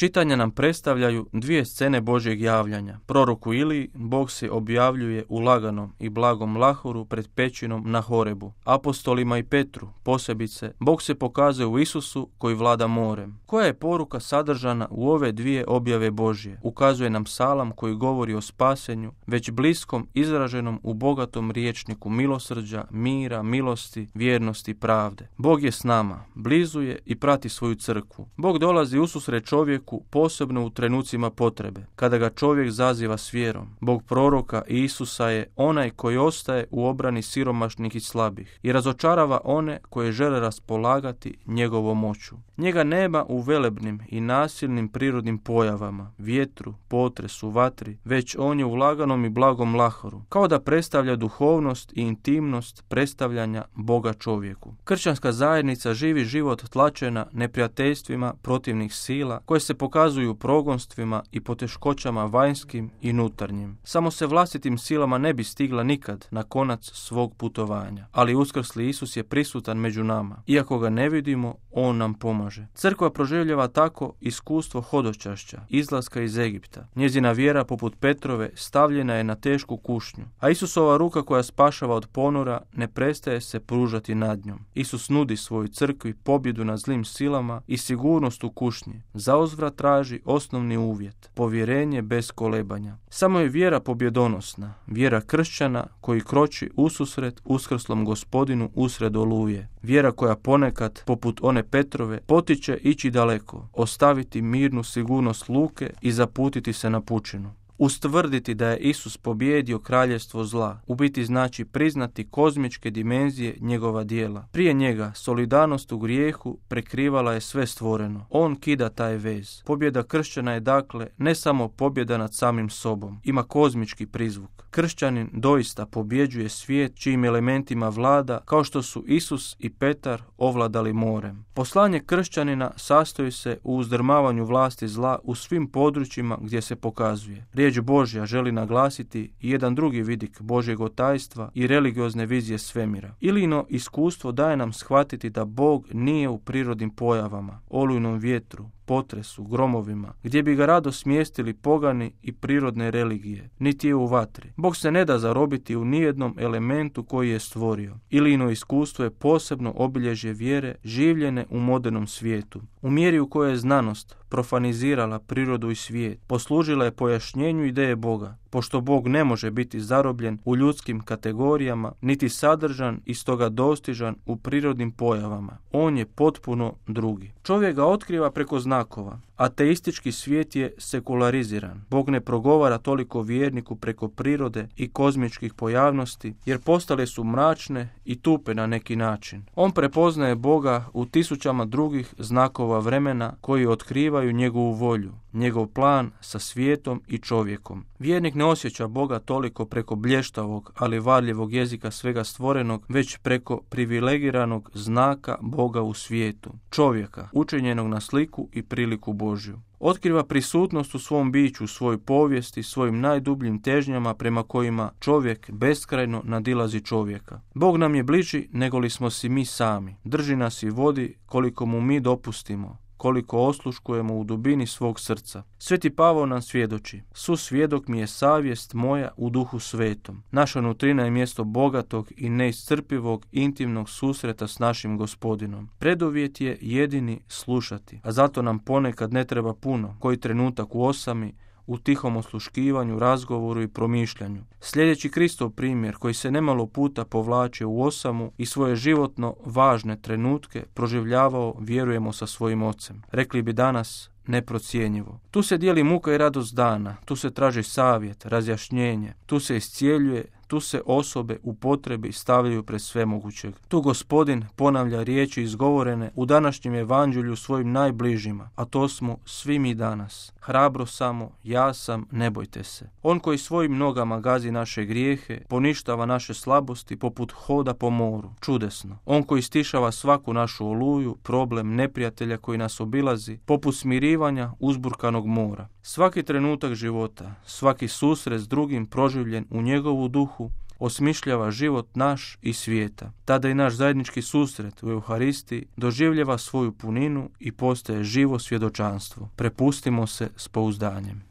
Čitanja nam predstavljaju dvije scene Božjeg javljanja. Proroku Iliji Bog se objavljuje u laganom i blagom lahoru pred pećinom na Horebu. Apostolima i Petru, posebice, Bog se pokazuje u Isusu koji vlada morem. Koja je poruka sadržana u ove dvije objave Božje? Ukazuje nam psalam koji govori o spasenju, već bliskom, izraženom u bogatom riječniku milosrđa, mira, milosti, vjernosti, pravde. Bog je s nama, blizu je i prati svoju crkvu. Bog dolazi ususret čovjeku posebno u trenucima potrebe, kada ga čovjek zaziva s vjerom. Bog proroka i Isusa je onaj koji ostaje u obrani siromašnih i slabih i razočarava one koje žele raspolagati njegovom moću. Njega nema u velebnim i nasilnim prirodnim pojavama, vjetru, potresu, vatri, već on je u laganom i blagom lahoru, kao da predstavlja duhovnost i intimnost predstavljanja Boga čovjeku. Kršćanska zajednica živi život tlačena neprijateljstvima protivnih sila koje se pokazuju progonstvima i poteškoćama vanjskim i unutarnjim. Samo se vlastitim silama ne bi stigla nikad na konac svog putovanja, ali uskrsli Isus je prisutan među nama. Iako ga ne vidimo, on nam pomaže. Crkva proživljava tako iskustvo hodočašća, izlaska iz Egipta. Njezina vjera poput Petrove stavljena je na tešku kušnju, a Isusova ruka koja spašava od ponora ne prestaje se pružati nad njom. Isus nudi svojoj crkvi pobjedu nad zlim silama i sigurnost u kušnji. Zauzvrat traži osnovni uvjet, povjerenje bez kolebanja. Samo je vjera pobjedonosna, vjera kršćana koji kroči ususret uskrslom Gospodinu usred oluje. Vjera koja ponekad, poput one Petrove, potiče ići daleko, ostaviti mirnu sigurnost luke i zaputiti se na pučinu. Ustvrditi da je Isus pobijedio kraljevstvo zla, u biti znači priznati kozmičke dimenzije njegova djela. Prije njega solidarnost u grijehu prekrivala je sve stvoreno. On kida taj vez. Pobjeda kršćana je dakle ne samo pobjeda nad samim sobom, ima kozmički prizvuk. Kršćanin doista pobjeđuje svijet čijim elementima vlada, kao što su Isus i Petar ovladali morem. Poslanje kršćanina sastoji se u uzdrmavanju vlasti zla u svim područjima gdje se pokazuje. Riječ Božja želi naglasiti i jedan drugi vidik Božjeg otajstva i religiozne vizije svemira. Ilijino iskustvo daje nam shvatiti da Bog nije u prirodnim pojavama, olujnom vjetru, potresu, gromovima, gdje bi ga rado smjestili pogani i prirodne religije, niti je u vatri. Bog se ne da zarobiti u nijednom elementu koji je stvorio. Ilijino iskustvo je posebno obilježje vjere življene u modernom svijetu. U mjeri u kojoj je znanost profanizirala prirodu i svijet, poslužila je pojašnjenju ideje Boga, pošto Bog ne može biti zarobljen u ljudskim kategorijama, niti sadržan i stoga dostižan u prirodnim pojavama. On je potpuno drugi. Čovjek ga otkriva preko znakova. Ateistički svijet je sekulariziran. Bog ne progovara toliko vjerniku preko prirode i kozmičkih pojavnosti, jer postale su mračne i tupe na neki način. On prepoznaje Boga u tisućama drugih znakova vremena koji otkrivaju njegovu volju, njegov plan sa svijetom i čovjekom. Vjernik ne osjeća Boga toliko preko blještavog, ali varljivog jezika svega stvorenog, već preko privilegiranog znaka Boga u svijetu, čovjeka, učinjenog na sliku i priliku Božju. Otkriva prisutnost u svom biću, svojoj povijesti, svojim najdubljim težnjama prema kojima čovjek beskrajno nadilazi čovjeka. Bog nam je bliži nego li smo si mi sami. Drži nas i vodi koliko mu mi dopustimo, koliko osluškujemo u dubini svog srca. Sveti Pavao nam svjedoči: "Susvjedok mi je savjest moja u Duhu Svetom." Naša nutrina je mjesto bogatog i neiscrpivog intimnog susreta s našim Gospodinom. Preduvjet je jedini slušati, a zato nam ponekad ne treba puno, koji trenutak u osami, u tihom osluškivanju, razgovoru i promišljanju. Sljedeći Kristov primjer, koji se nemalo puta povlače u osamu i svoje životno važne trenutke proživljavao, vjerujemo, sa svojim ocem. Rekli bi danas, neprocjenjivo. Tu se dijeli muka i radost dana, tu se traži savjet, razjašnjenje, tu se iscijeljuje, tu se osobe u potrebi stavljaju pred svemogućeg. Tu Gospodin ponavlja riječi izgovorene u današnjem evanđelju svojim najbližima, a to smo svi mi danas. Hrabro samo, ja sam, ne bojte se. On koji svojim nogama gazi naše grijehe, poništava naše slabosti poput hoda po moru. Čudesno. On koji stišava svaku našu oluju, problem neprijatelja koji nas obilazi, poput smirivanja uzburkanog mora. Svaki trenutak života, svaki susret s drugim proživljen u njegovu duhu osmišljava život naš i svijeta. Tada i naš zajednički susret u Euharistiji doživljava svoju puninu i postaje živo svjedočanstvo. Prepustimo se s pouzdanjem.